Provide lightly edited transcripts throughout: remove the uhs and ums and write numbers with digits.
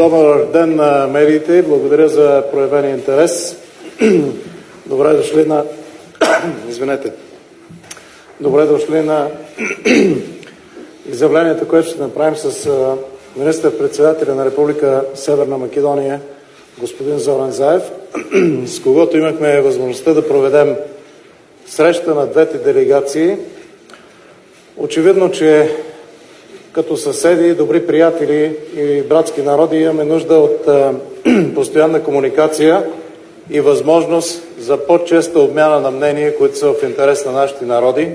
Добър ден на медиите. Благодаря за проявения интерес. Добре дошли на... Извинете. Добре дошли на изявлението, което ще направим с министър-председателя на Република Северна Македония, господин Зоран Заев, с когото имахме възможността да проведем среща на двете делегации. Очевидно, че като съседи, добри приятели и братски народи имаме нужда от постоянна комуникация и възможност за по-честа обмяна на мнения, които са в интерес на нашите народи,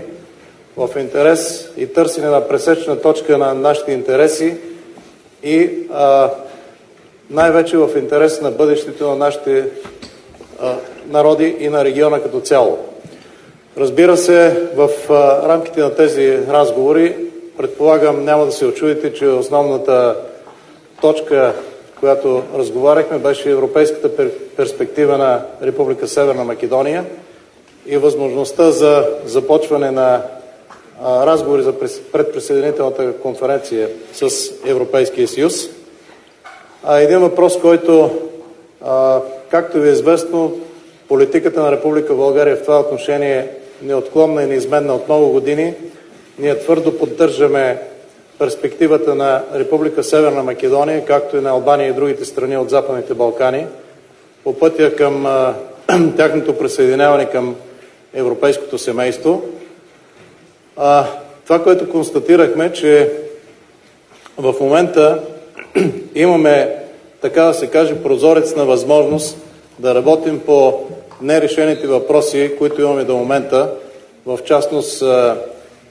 в интерес и търсене на пресечна точка на нашите интереси и най-вече в интерес на бъдещето на нашите народи и на региона като цяло. Разбира се, в рамките на тези разговори, предполагам, няма да се очудите, че основната точка, в която разговаряхме, беше европейската перспектива на Република Северна Македония и възможността за започване на разговори за предприсъединителната конференция с Европейския съюз. Един въпрос, който, както ви е известно, политиката на Република България в това отношение е неотклонна и неизменна от много години. Ние твърдо поддържаме перспективата на Република Северна Македония, както и на Албания и другите страни от Западните Балкани, по пътя към тяхното присъединяване към европейското семейство. Това, което констатирахме, че в момента имаме, така да се каже, прозорец на възможност да работим по нерешените въпроси, които имаме до момента, в частност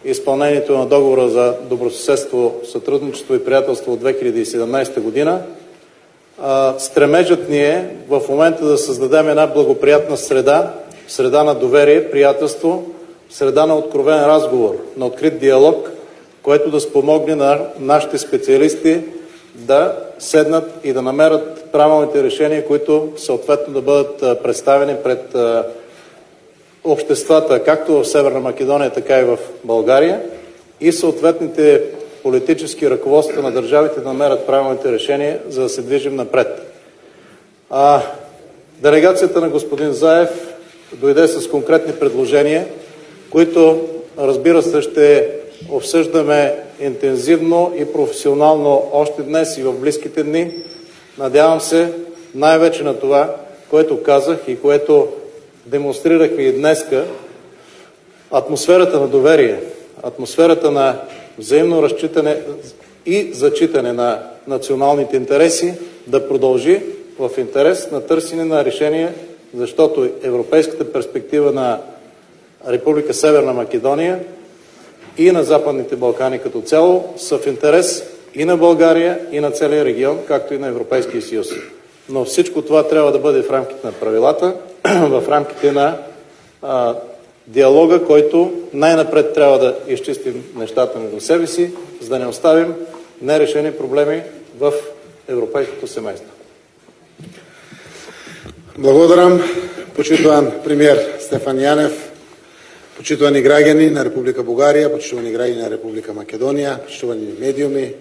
изпълнението на договора за добросъседство, сътрудничество и приятелство от 2017 година. Стремежът ни е в момента да създадем една благоприятна среда на доверие, приятелство, среда на откровен разговор, на открит диалог, което да спомогне на нашите специалисти да седнат и да намерят правилните решения, които съответно да бъдат представени пред обществата, както в Северна Македония, така и в България, и съответните политически ръководства на държавите да намерят правилните решения, за да се движим напред. Делегацията на господин Заев дойде с конкретни предложения, които, разбира се, ще обсъждаме интензивно и професионално още днес и в близките дни. Надявам се най-вече на това, което казах и което демонстрирахме и днеска, атмосферата на доверие, атмосферата на взаимно разчитане и зачитане на националните интереси да продължи в интерес на търсене на решение, защото европейската перспектива на Република Северна Македония и на Западните Балкани като цяло са в интерес и на България, и на целия регион, както и на Европейския съюз. Но всичко това трябва да бъде в рамките на правилата, в рамките на диалога, който най-напред трябва да изчистим нещата между себе си, за да не оставим нерешени проблеми в европейското семейство. Благодарам, почитуван премиер Стефан Янев, почитувани граѓани на Република Бугарија, почитувани граѓани на Република Македонија, почитувани медиуми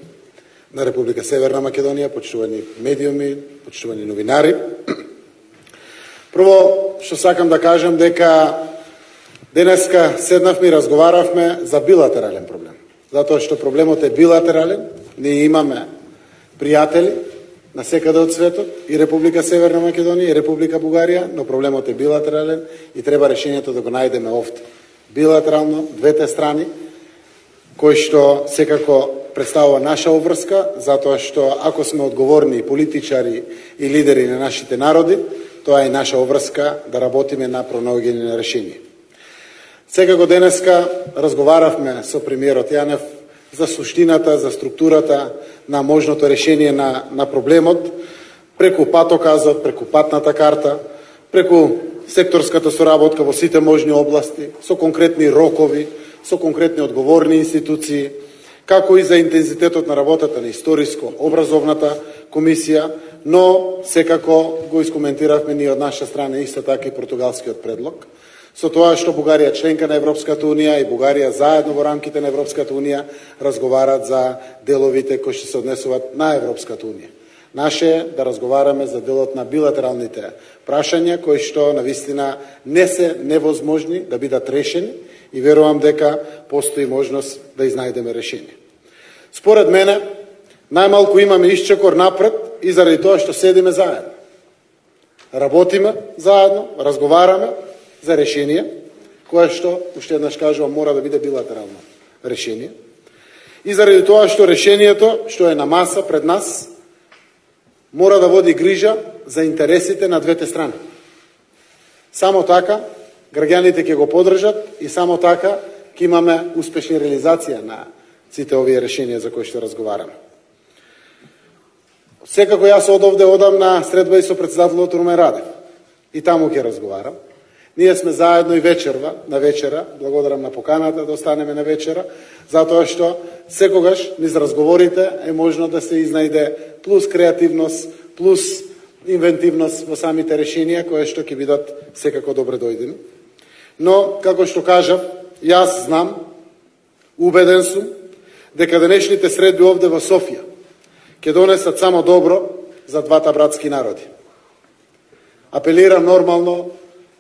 на Република Северна Македонија, почитувани медиуми, почитувани новинари. Прво, што сакам да кажам дека денеска седнавме и разговаравме за билатерален проблем. Затоа што проблемот е билатерален, ние имаме пријатели на секаде од светот, и Република Северна Македонија, и Република Бугарија, но проблемот е билатерален и треба решението да го најдеме овде. Билатерално, двете страни, кој што секако представува наша обврска, затоа што ако сме одговорни политичари и лидери на нашите народи, тоа е наша обврска да работиме на пронаоѓање на решение. Секако денеска разговаравме со премиерот Јанев за суштината, за структурата на можното решение на проблемот, преку патоказот, преку патната карта, преку секторската соработка во сите можни области, со конкретни рокови, со конкретни одговорни институции, како и за интензитетот на работата на историско-образовната комисија, но секако го искоментиравме ние од наша страна исто така и португалскиот предлог, со тоа што Бугарија членка на Европската Унија и Бугарија заедно во рамките на Европската Унија разговарат за деловите кои што се однесуваат на Европската Унија. Наше е да разговараме за делот на билатералните прашања, кои што навистина не се невозможни да бидат решени и верувам дека постои можност да изнајдеме решение. Според мене, најмалку имаме исчекор напред и заради тоа што седиме заедно. Работиме заедно, разговараме за решение, кое што, уште еднаш кажувам, мора да биде билатерално решение. И заради тоа што решението, што е на маса пред нас, мора да води грижа за интересите на двете страни. Само така граѓаните ќе го поддржат и само така ќе имаме успешна реализација на сите овие решенија за кои што разговараме. Секако јас од овде одам на средба и со председателот Румен Радев. И таму ќе разговарам. Ние сме заедно и вечерва, на вечера, благодарам на поканата да останеме на вечера, затоа што секогаш низ разговорите е можно да се изнајде плюс креативност, плюс инвентивност во самите решенија, кои што ќе бидат секако добре дојдени. Но, како што кажав, јас знам, убеден сум, дека денешните средби овде во Софија ќе донесат само добро за двата братски народи. Апелирам нормално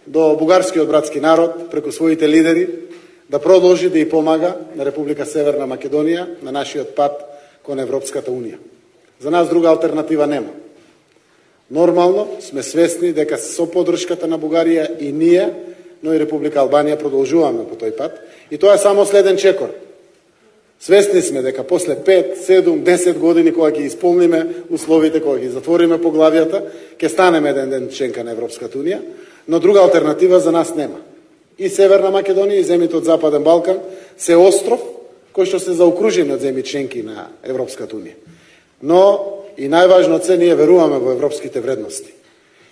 до бугарскиот братски народ, преку своите лидери, да продолжи да и помага на Република Северна Македонија на нашиот пат кон Европската Унија. За нас друга алтернатива нема. Нормално сме свесни дека со поддршката на Бугарија и ние, но и Република Албанија продолжуваме по тој пат. И тоа е само следен чекор. Свесни сме дека после 5, 7, 10 години кога ќе исполниме условите, кога ќе затвориме поглавијата, ќе станеме еден ден членка на Европската Унија, но друга алтернатива за нас нема. И Северна Македонија и земјите од Западен Балкан се остров кој што се заокружени од земји членки на Европската Унија. Но и најважно од се, ние веруваме во европските вредности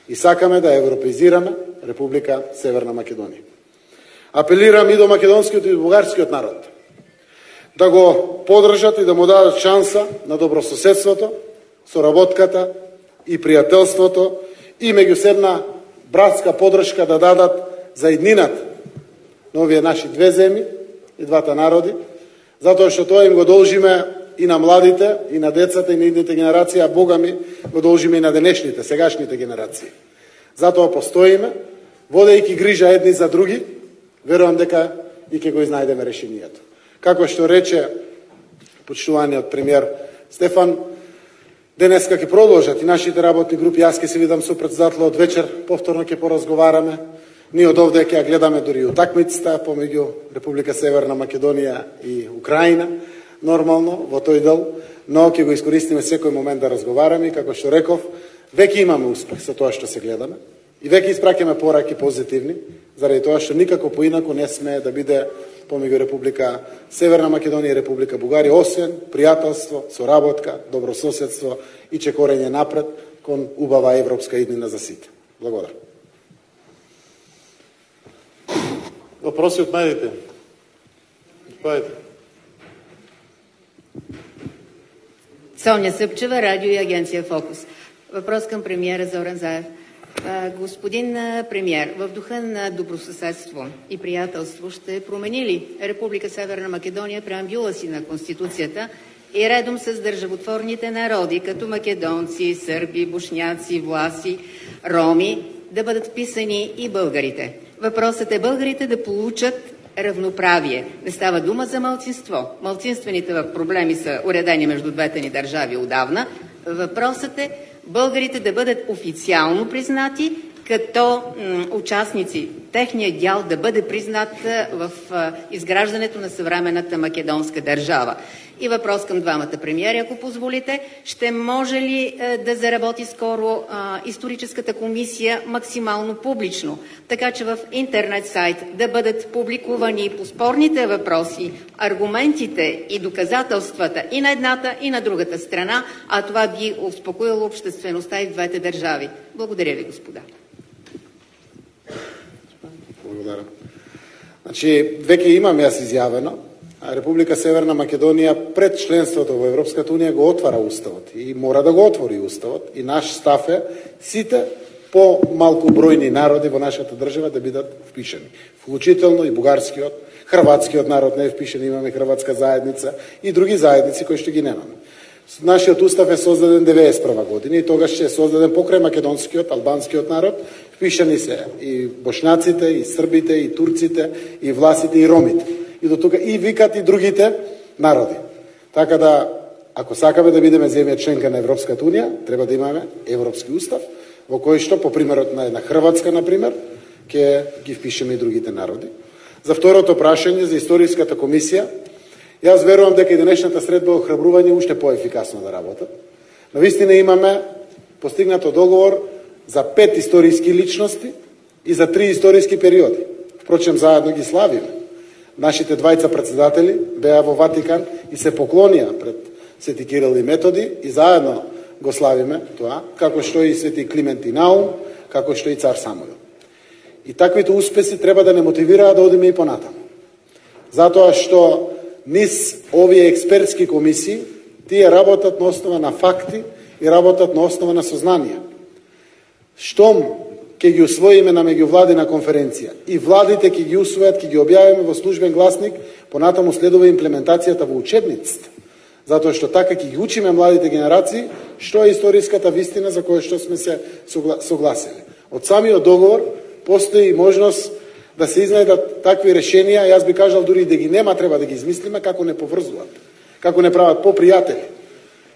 и сакаме да европеизираме Република Северна Македонија. Апелирам и до македонскиот и до бугарскиот народ да го поддржат и да му дадат шанса на добрососедството, соработката и пријателството и меѓусебна братска поддршка да дадат за иднината на овие наши две земји и двата народи, затоа што тоа им го должиме и на младите, и на децата, и на идните генерации, а Бога ми го должиме и на денешните, сегашните генерации. Затоа постоиме, водејќи грижа едни за други, верувам дека и ќе го изнајдеме решението. Како што рече почитуваниот премиер Стефан, денеска ќе продолжат и нашите работни групи, јас ќе се видам со председателот вечер, повторно ќе поразговараме. Ние од овде ќе ја гледаме дури утакмицата помеѓу Република Северна Македонија и Украина, нормално во тој дел, но ќе го искористиме секој момент да разговараме и како што реков, веќе имаме успех со тоа што се гледаме и веќе испраќаме пораки позитивни, заради тоа што никако поинаку не сме да биде помеѓу Република Северна Македонија и Република Бугарија, освен пријателство, соработка, добрососедство и чекорење напред кон убава европска иднина за сите. Благодарам. Въпроси от медиите? Соня Съпчева, радио и агенция Фокус. Въпрос към премиера Зоран Заев. Господин премиер, в духа на добросъседство и приятелство ще промени ли Република Северна Македония преамбюла си на Конституцията и редом с държавотворните народи, като македонци, сърби, бошняци, власи, роми, да бъдат вписани и българите? Въпросът е българите да получат равноправие. Не става дума за малцинство. Малцинствените проблеми са уредени между двете ни държави отдавна. Въпросът е българите да бъдат официално признати като участници. Техният дял да бъде признат в изграждането на съвременната македонска държава. И въпрос към двамата премиери, ако позволите. Ще може ли да заработи скоро историческата комисия максимално публично, така че в интернет сайт да бъдат публикувани по спорните въпроси, аргументите и доказателствата и на едната, и на другата страна, а това би успокоило обществеността и в двете държави? Благодаря ви, господа. Благодарам. Значи, веќе имам јас изјавено, Република Северна Македонија пред членството во Европската Унија го отвара уставот и мора да го отвори уставот и наш став е сите по-малку бројни народи во нашата држава да бидат впишани. Вклучително и бугарскиот, хрватскиот народ не е впишан, имаме хрватска заедница и други заедници кои што ги немаме. Нашиот устав е создаден 91 година и тогаш е создаден покрај македонскиот, албанскиот народ, впишани се и бошњаците, и србите, и турците, и власите, и ромите. И до тука и викат и другите народи. Така да, ако сакаме да бидеме земја членка на Европската унија, треба да имаме европски устав, во кој што, по примерот на една Хрватска, например, ќе ги впишеме и другите народи. За второто прашање, за историската комисија, јас верувам дека и денешната средба охрабрување уште поефикасно да работат. Навистина имаме постигнато договор за 5 историски личности и за 3 историски периоди. Впрочем, заедно ги славиме. Нашите двајца председатели беа во Ватикан и се поклонија пред Свети Кирил и Методи и заедно го славиме тоа, како што и Свети Климент и Наум, како што и цар Самуил. И таквите успеси треба да не мотивираат да одиме и понатаму. Затоа што низ овие експертски комисии, тие работат на основа на факти и работат на основа на сознание. Штом ќе ги усвоиме на меѓувладина конференција и владите ќе ги усвојат, ќе ги објавиме во службен гласник, понатаму следува имплементацијата во учебниците. Затоа што така ќе ги учиме младите генерации што е историската вистина за која што сме се согласили. Од самиот договор постои можност да се изнајдат такви решенија, јас би кажал дури и да ги нема, треба да ги измислиме како не поврзуваат, како не прават попријатели,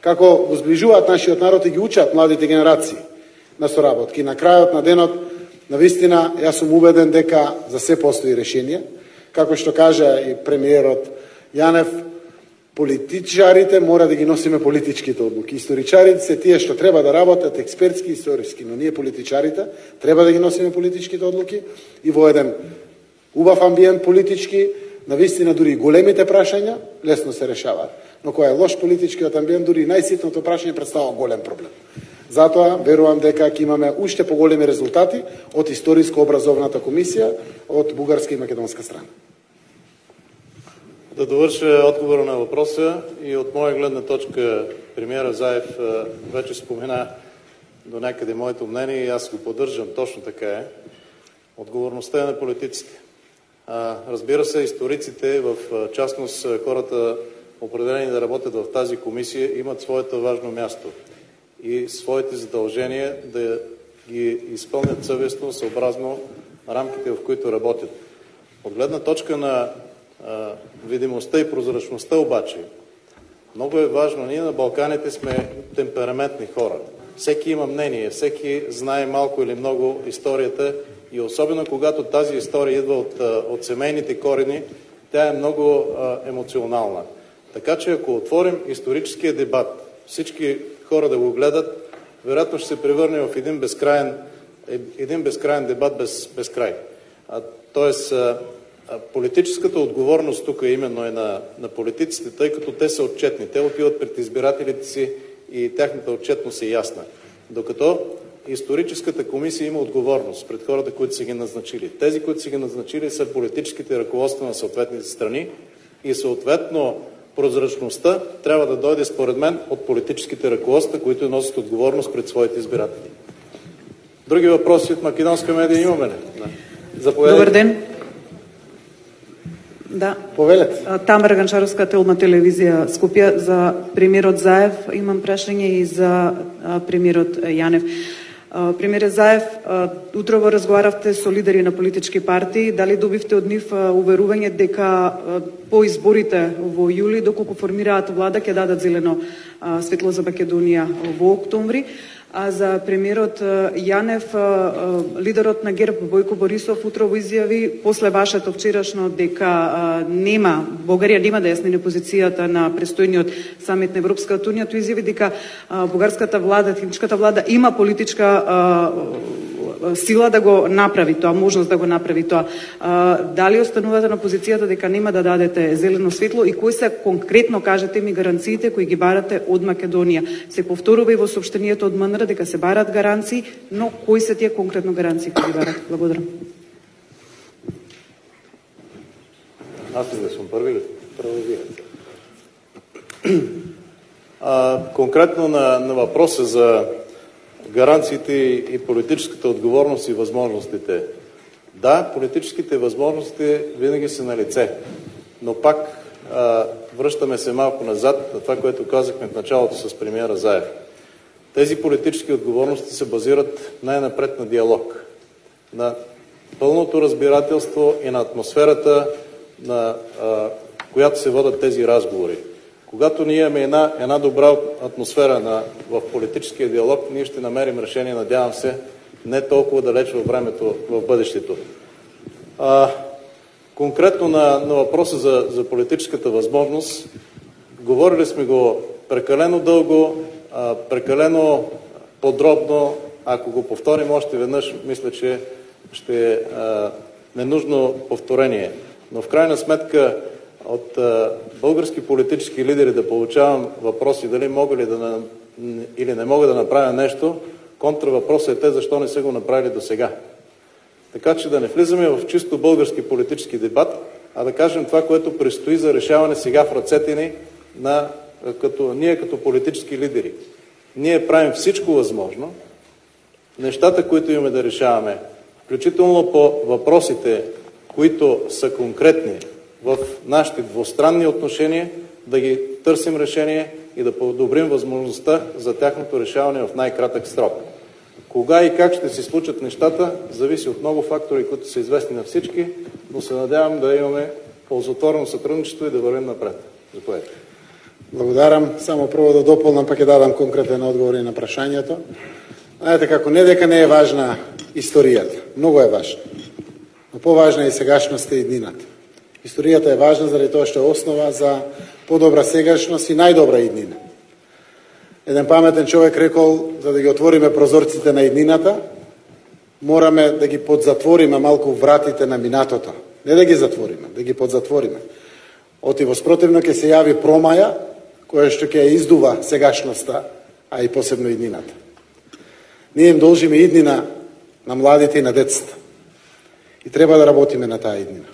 како го зближуваат нашиот народ и ги учат младите генерации на соработки. На крајот на денот, навистина, јас сум убеден дека за се постои решение. Како што кажа и премиерот Јанев, политичарите мора да ги носиме политичките одлуки. Историчарите се тие што треба да работат експертски и историски, но ние политичарите треба да ги носиме политичките одлуки и во еден убав амбиент политички, навистина дури и големите прашања лесно се решаваат. Но кој е лош политичкиот амбиент, дури и најситното прашање представува голем проблем. Затоа верувам дека ќе имаме уште поголеми резултати од историско-образовната комисија од бугарска и македонска страна. Да довърша отговора на въпроса и от моя гледна точка премиера Заев вече спомена до някъде моето мнение и аз го поддържам, точно така е. Отговорността е на политиците. Разбира се, историците, в частност хората определени да работят в тази комисия, имат своето важно място и своите задължения да ги изпълнят съвестно, съобразно рамките, в които работят. От гледна точка на видимостта и прозрачността обаче, много е важно. Ние на Балканите сме темпераментни хора. Всеки има мнение, всеки знае малко или много историята и особено когато тази история идва от семейните корени, тя е много емоционална. Така че ако отворим историческия дебат, всички хора да го гледат, вероятно ще се превърне в един безкрайен дебат без край. Тоест, политическата отговорност тук именно е на политиците, тъй като те са отчетни. Те отиват пред избирателите си и тяхната отчетност е ясна. Докато историческата комисия има отговорност пред хората, които са ги назначили. Тези, които са ги назначили, са политическите ръководства на съответните страни и съответно прозрачността трябва да дойде според мен от политическите ръководства, които носят отговорност пред своите избиратели. Други въпроси от македонска медия имаме ли? Заповядайте. Добър ден. Да. Повелете. Тамара Ганчаровска, Телма телевизија Скопје. За премиерот Заев имам прашање и за премиерот Јанев. Премиерот Заев, утрово разговаравте со лидери на политички партии. Дали добивте од нив уверување дека по изборите во јули, доколку формираат влада, ќе дадат зелено светло за Македонија во октомври? А за премиерот Јанев, лидерот на ГЕРБ Бојко Борисов утрово изјави после вашето вчерашно дека Бугарија нема да ја смени позицијата на престојниот самит на Европската унија, тој изјави дека бугарската влада, техничката влада има политичка сила да го направи тоа, можност да го направи тоа. Дали останувате на позицијата дека нема да дадете зелено светло и кои се конкретно, кажете ми, гаранциите кои ги барате од Македонија? Се повторува и во соопштението од МНР дека се барат гаранции, но кои се тие конкретно гаранции кои ги барат? Благодарам. Аз ли да съм първи ли? Конкретно на въпроса за гаранциите и политическата отговорност и възможностите. Да, политическите възможности винаги са на лице, но пак връщаме се малко назад на това, което казахме в началото с премиера Заев. Тези политически отговорности се базират най-напред на диалог, на пълното разбирателство и на атмосферата, на която се водят тези разговори. Когато ние имаме една добра атмосфера в политическия диалог, ние ще намерим решение, надявам се, не толкова далеч във времето, в бъдещето. Конкретно на въпроса за политическата възможност, говорили сме го прекалено дълго, прекалено подробно. Ако го повторим още веднъж, мисля, че ще е ненужно повторение. Но в крайна сметка от български политически лидери да получавам въпроси дали мога ли или не мога да направя нещо, контравъпросът е те защо не са го направили до сега. Така че да не влизаме в чисто български политически дебат, а да кажем това, което предстои за решаване сега в ръцете ни ние като политически лидери. Ние правим всичко възможно, нещата, които имаме да решаваме, включително по въпросите, които са конкретни в нашите двустранни отношения, да ги търсим решение и да подобрим възможността за тяхното решаване в най-кратък срок. Кога и как ще се случат нещата, зависи от много фактори, които са известни на всички, но се надявам да имаме ползотворно сътрудничество и да вървим напред. Заповядайте. Благодарам. Само прво да дополнам, пак ќе дадам конкретен одговор на прашањето. Знаете како, не дека не е важна историјата, многу е важна. Но поважна е и сегашноста и иднината. Историјата е важна заради тоа што е основа за подобра сегашност и најдобра иднина. Еден паметен човек рекол, за да ги отвориме прозорците на иднината, мораме да ги подзатвориме малку вратите на минатото. Не да ги затвориме, да ги подзатвориме. Оти во спротивно ќе се јави промаја, која што ќе издува сегашноста, а и посебно иднината. Ние им должиме иднина на младите и на децата. И треба да работиме на таа иднина.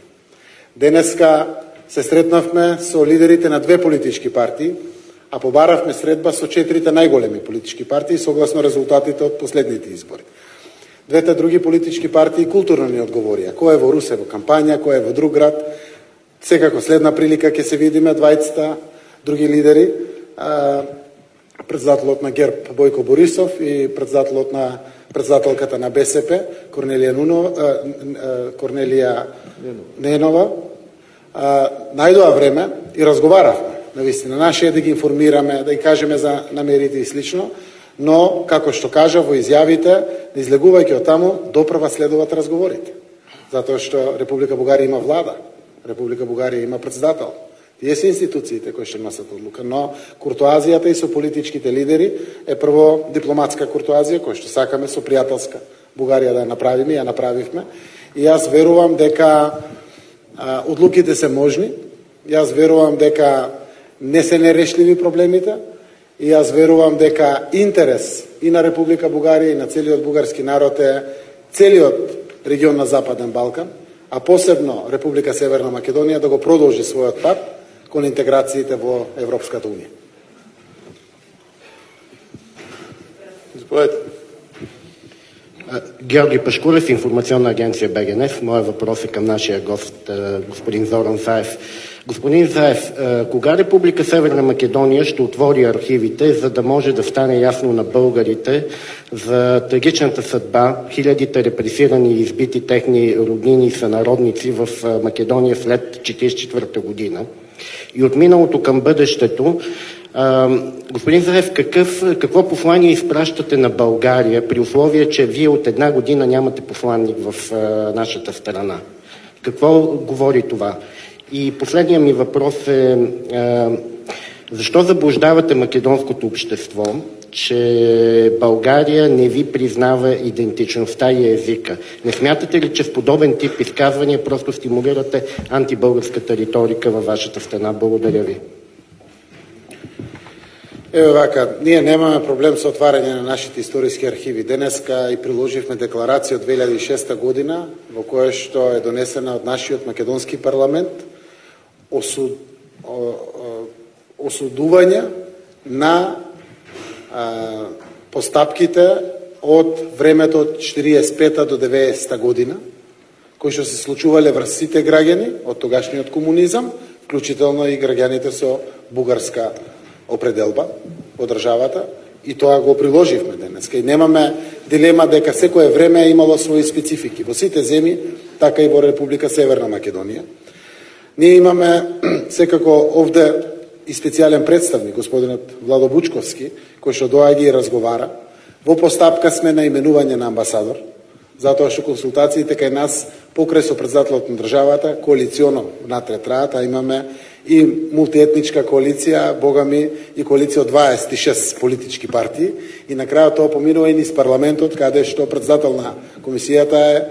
Денеска се сретнавме со лидерите на две политички партии, а побаравме средба со 4 најголеми политички партии согласно резултатите од последните избори. Двете други политички партии културно ни одговорија. Кој е во Русе во кампања, кој е во друг град. Секако следна прилика ќе се видиме двајцата други лидери, председателот на ГЕРБ Бојко Борисов и председателката на БСП Корнелија Ненова. Најдоа време и разговаравме. Навистина, наше е да ги информираме, да ги кажеме за намерите и слично, но, како што кажа во изјавите, не излегувајќи од таму, доправа следуваат разговорите. Затоа што Република Бугарија има влада, Република Бугарија има председател. Тие се институциите кои ќе носат одлука, но куртоазијата и со политичките лидери е прво дипломатска куртоазија, која што сакаме со пријателска Бугарија да ја направиме, ја направивме. И јас верувам дека одлуките се можни, јас верувам дека не се нерешливи проблемите и јас верувам дека интерес и на Република Бугарија и на целиот бугарски народ е целиот регион на Западен Балкан, а посебно Република Северна Македонија да го продолжи својот пат кон интеграциите во Европската унија. Заповядайте. Георги Пашкулев, информационна агенция БГНФ. Моят въпрос е към нашия гост, господин Зоран Заев. Господин Заев, кога Република Северна Македония ще отвори архивите, за да може да стане ясно на българите за трагичната съдба, хилядите репресирани и избити техни роднини и сънародници в Македония след 1944 година? И от миналото към бъдещето, господин Заев, какво послание изпращате на България при условие, че вие от една година нямате посланник в нашата страна? Какво говори това? И последният ми въпрос е защо заблуждавате македонското общество, че България не ви признава идентичността и езика? Не смятате ли, че в подобен тип изказвания просто стимулирате антибългарската риторика във вашата страна? Благодаря ви. Ево вака, ние немаме проблем со отварање на нашите историски архиви. Денеска и приложивме декларација од 2006 година, во која што е донесена од нашиот македонски парламент, осудување на постапките од времето од 45 до 90 година, кои што се случувале врз сите граѓани од тогашниот комунизам, вклучително и граѓаните со бугарска определба во државата, и тоа го приложивме денеска. И немаме дилема дека секое време е имало своји специфики. Во сите земји, така и во Република Северна Македонија. Ние имаме секако овде и специјален представник, господинот Владо Бучковски, кој што доаѓа и разговара. Во постапка сме на именување на амбасадор, затоа што консултациите кај нас покрај со председателот на државата коалиционо внатре траат, а имаме и мултиетничка коалиција, богами и коалиција од 26 политички партии, и на крајот тоа поминува и низ парламентот, каде што председател на комисијата е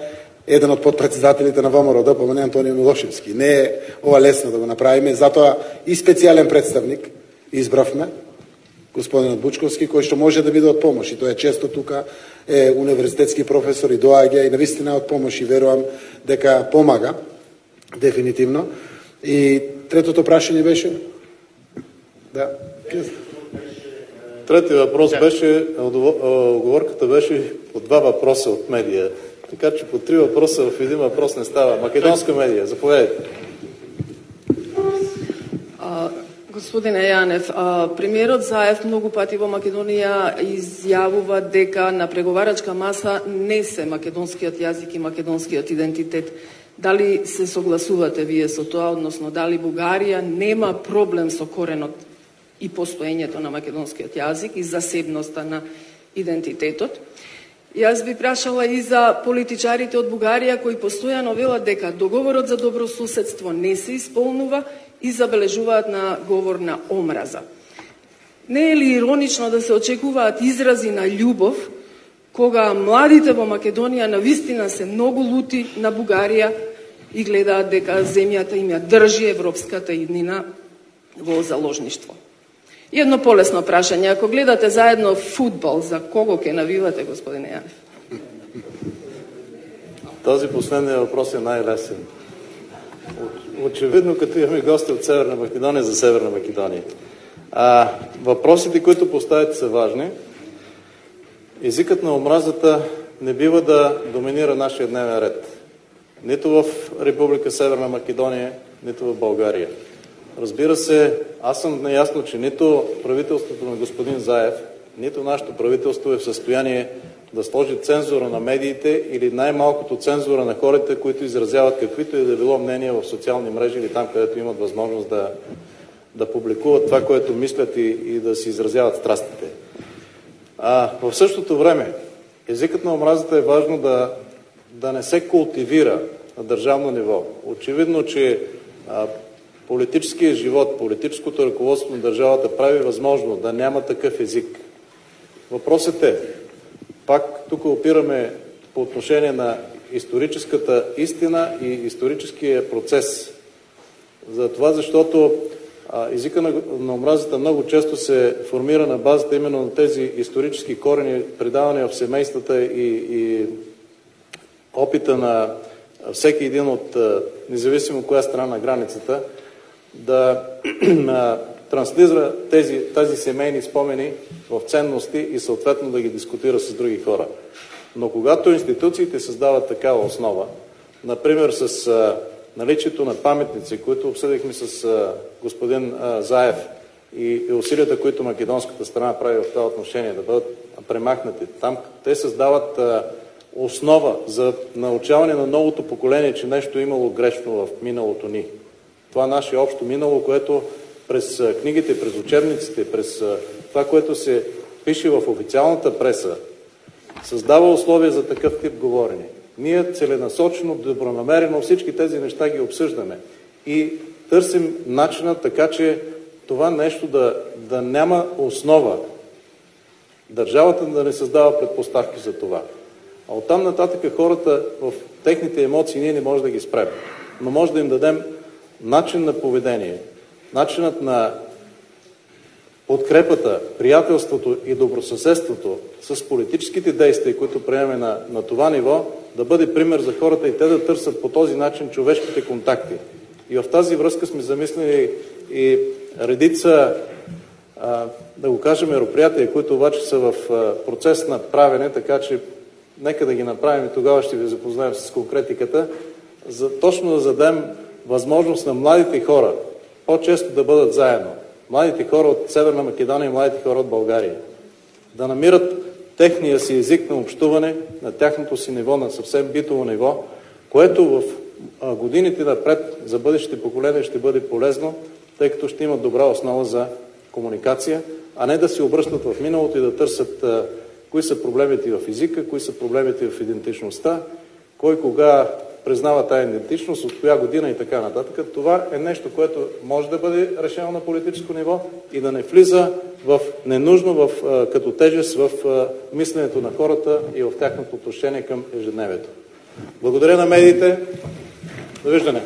еден од подпредседателите на ВМРО, помене Антонио Милошевски. Не е ова лесно да го направиме, затоа и специјален представник избравме, господинот Бучковски, кој што може да биде од помош, и тоа е често тука, е универзитетски професор и доаѓа и навистина од помош, и верувам дека помага дефинитивно. И третото прашање беше? Да. Трети въпрос беше, оговорката беше по 2 въпроса от медия. Така че по 3 въпроса в един въпрос не става. Македонска медия, заповядайте. Господине Јанев, премиерот Заев многу пати во Македонија изјавува дека на преговарачка маса не се македонскиот јазик и македонскиот идентитет. Дали се согласувате вие со тоа, односно дали Бугарија нема проблем со коренот и постоењето на македонскиот јазик и засебноста на идентитетот? Јас би прашала и за политичарите од Бугарија кои постојано велат дека договорот за добрососедство не се исполнува и забележуваат на говор на омраза. Не е ли иронично да се очекуваат изрази на љубов кога младите во Македонија навистина се многу лути на Бугарија и гледаат дека земјата им ја држи европската иднина во заложништво? И едно полесно прашање, ако гледате заедно фудбал, за кого ќе навивате, господине Јанев? Този последният въпрос е най-лесен. Очевидно, като имаме гости от Северна Македония, за Северна Македония. Въпросите, които поставите, са важни. Езикът на омразата не бива да доминира нашия дневен ред. Нито в Република Северна Македония, нито в България. Разбира се, аз съм наясно, че нито правителството на господин Заев, нито нашето правителство е в състояние да сложи цензура на медиите или най-малкото цензура на хората, които изразяват каквито и да било мнения в социални мрежи или там, където имат възможност да публикуват това, което мислят и да си изразяват страстите. В същото време, езикът на омразата е важно да не се култивира на държавно ниво. Очевидно, че политическият живот, политическото ръководство на държавата прави възможно да няма такъв език. Въпросът е, пак тук опираме по отношение на историческата истина и историческия процес. За това, защото езика на омразата много често се формира на базата именно на тези исторически корени, предавани в семействата и опита на всеки един от, независимо коя страна на границата, да транслира тези семейни спомени в ценности и съответно да ги дискутира с други хора. Но когато институциите създават такава основа, например с наличието на паметници, които обсъдихме с господин Заев и усилията, които македонската страна прави в това отношение, да бъдат премахнати там, те създават основа за научаване на новото поколение, че нещо е имало грешно в миналото ни. Това наше общо минало, което през книгите, през учебниците, през това, което се пише в официалната преса, създава условия за такъв тип говорене. Ние целенасочено, добронамерено всички тези неща ги обсъждаме и търсим начина така, че това нещо да няма основа. Държавата да не създава предпоставки за това. А оттам нататък хората в техните емоции ние не можем да ги спрем. Но може да им дадем начин на поведение, начинът на подкрепата, приятелството и добросъседството с политическите действия, които приемаме на това ниво, да бъде пример за хората и те да търсят по този начин човешките контакти. И в тази връзка сме замислили и редица, да го кажем, мероприятия, които обаче са в процес на правене, така че нека да ги направим и тогава ще ви запознаем с конкретиката, за точно да зададем възможност на младите хора по-често да бъдат заедно. Младите хора от Северна Македония и младите хора от България. Да намират техния си език на общуване, на тяхното си ниво, на съвсем битово ниво, което в годините напред за бъдещите поколения ще бъде полезно, тъй като ще имат добра основа за комуникация, а не да се обръщат в миналото и да търсят кои са проблемите в езика, кои са проблемите в идентичността, кой кога признава тая идентичност, от коя година и така нататък. Това е нещо, което може да бъде решено на политическо ниво и да не влиза ненужно като тежест в мисленето на хората и в тяхното отношение към ежедневието. Благодаря на медиите. Довиждане.